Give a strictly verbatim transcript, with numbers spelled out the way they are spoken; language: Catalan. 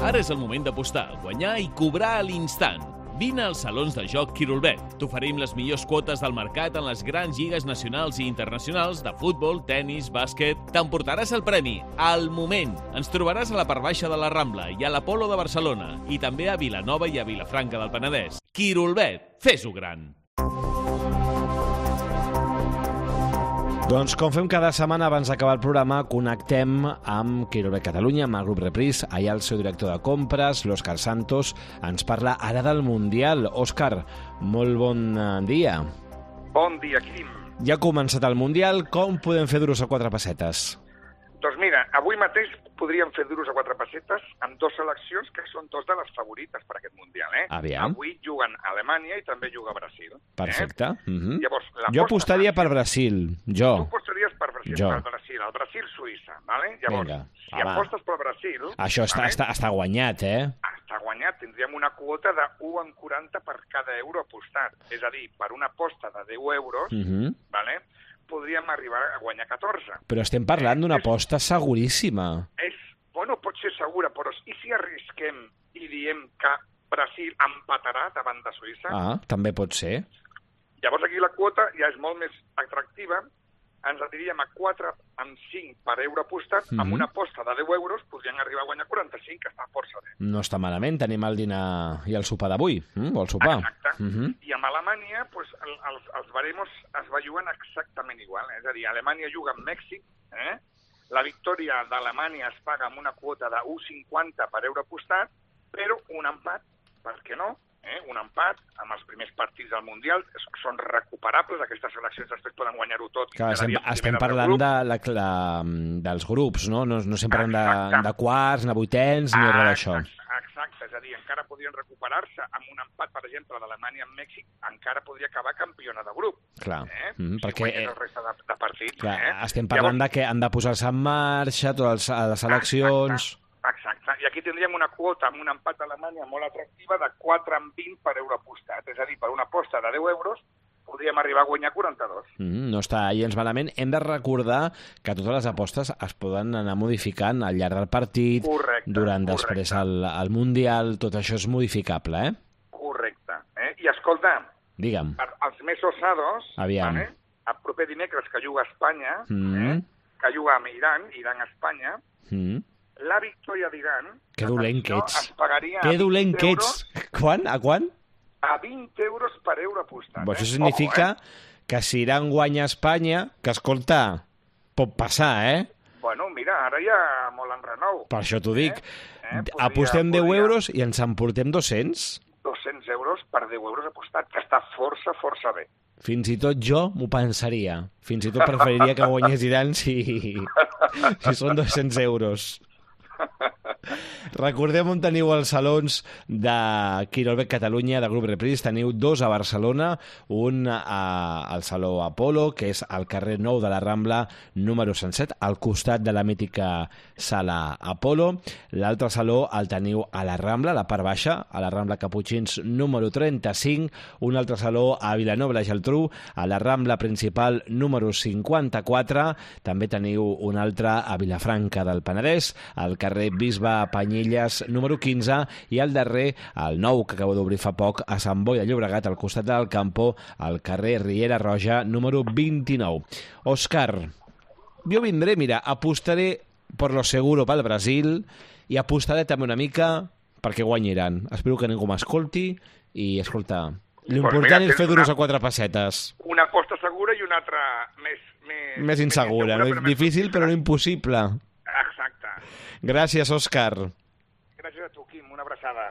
Ara és el moment d'apostar, guanyar i cobrar a l'instant. Vine als salons de joc Quirolbet. T'oferim les millors quotes del mercat en les grans lligues nacionals i internacionals de futbol, tennis, bàsquet. T'emportaràs el premi al moment. Ens trobaràs a la part baixa de la Rambla i a l'Apolo de Barcelona i també a Vilanova i a Vilafranca del Penedès. Quirolbet, fes-ho gran! Doncs com fem cada setmana abans d'acabar el programa, connectem amb Quirolbet Catalunya, amb el grup Reprise. Allà el seu director de compres, l'Òscar Santos, ens parla ara del Mundial. Òscar, molt bon dia. Bon dia, Quim. Ja ha començat el Mundial, com podem fer duros a quatre pessetes? Doncs mira, avui mateix podríem fer duros a quatre pessetes amb dues seleccions que són dos de les favorites per aquest Mundial. Eh? Aviam. Avui juguen Alemanya i també juga Brasil. Perfecte. Eh? Uh-huh. Llavors, jo apostaria per Brasil, jo. Tu apostaries per Brasil, jo. per Brasil, el Brasil-Suïssa. Vale? Llavors, Vinga, si va. apostes per Brasil... Això està, vale? està, està guanyat, eh? Està guanyat. Tindríem una quota de u coma quaranta per cada euro apostat. És a dir, per una aposta de deu euros, Uh-huh. vale? podríem arribar a guanyar catorze. Però estem parlant d'una aposta seguríssima. És, bueno, pot ser segura, però i si arrisquem i diem que Brasil empatarà davant de Suïssa? Ah, també pot ser. Llavors aquí la quota ja és molt més atractiva, ens aniríem a quatre amb cinc per euro apostat, mm-hmm. amb una aposta de deu euros podrien arribar a guanyar quaranta-cinc, que està força bé. No està malament, tenim el dinar i el sopar d'avui, mm? o el sopar. Exacte. Mm-hmm. I amb Alemanya, pues, el, els, els baremos es va jugant exactament igual, eh? És a dir, Alemanya juga amb Mèxic, eh? La victòria d'Alemanya es paga amb una quota de u coma cinquanta per euro apostat, però un empat, per què no? Eh? Un empat amb els primers partits del Mundial són recuperables, aquestes seleccions després poden guanyar-ho tot. Clar, estem, estem parlant de, la, la, dels grups, no? No, no estem parlant de, de quarts, ni vuitens, ni res d'això. Exacte, és a dir, encara podrien recuperar-se amb un empat, per exemple, d'Alemanya amb Mèxic, encara podria acabar campiona de grup. Clar, eh? mm, si perquè... el resta de, de partits. Clar, eh? estem parlant Llavors, de que han de posar-se en marxa totes les eleccions... Exacte. Exacte, i aquí tindríem una quota amb un empat a Alemanya molt atractiva de quatre amb vint per euro apostat, és a dir, per una aposta de deu euros podríem arribar a guanyar quaranta-dos. Mm, no està gens malament. Hem de recordar que totes les apostes es poden anar modificant al llarg del partit, correcte, durant correcte. després el, el Mundial, tot això és modificable, eh? Correcte. Eh? I escolta, digue'm. Per, els més osados, Aviam. Vale? El proper dimecres que juga a Espanya, Mm. eh? que juga amb Iran, Iran-Espanya, Mm. la victòria d'Iran... Que dolent que ets. Es pagaria Que dolent que ets. Quan? A quan? A vint euros per euro apostat. Bo, eh? això significa Ojo, eh? que si Iran guanya a Espanya, que, escolta, pot passar, eh? Bueno, mira, ara hi ha molt enrenou. Per això t'ho dic. Eh? Eh? Podria, Apostem deu podria... euros i ens emportem dos-cents. dos-cents euros per deu euros apostat, que està força, força bé. Fins i tot jo m'ho pensaria. Fins i tot preferiria que guanyés Iran si, si són dos-cents euros. Recordem on teniu els salons de Quirolbet Catalunya, de Grup Reprise. Teniu dos a Barcelona, un a, al Saló Apolo, que és al carrer nou de la Rambla, número cent set, al costat de la mítica sala Apolo. L'altre saló el teniu a la Rambla, a la part baixa, a la Rambla Caputxins, número trenta-cinc. Un altre saló a Vilanova i la Geltrú, a la Rambla Principal, número cinquanta-quatre. També teniu un altre a Vilafranca del Penedès, al carrer Bisbe Panyelles, número quinze, i al darrer, el nou, que acabo d'obrir fa poc, a Sant Boi de Llobregat, al costat del Campo, al carrer Riera Roja, número vint-i-nou. Òscar, jo vindré, mira, apostaré per lo seguro pel Brasil i apostaré també una mica perquè guanyiran. Espero que ningú m'escolti i, escolta, l'important és fer duros a quatre pessetes. Una aposta segura i una altra més... Més, més insegura, més no? Difícil però no impossible. Exacte. Gràcies, Òscar. Gràcies a tu, Quim. Una abraçada.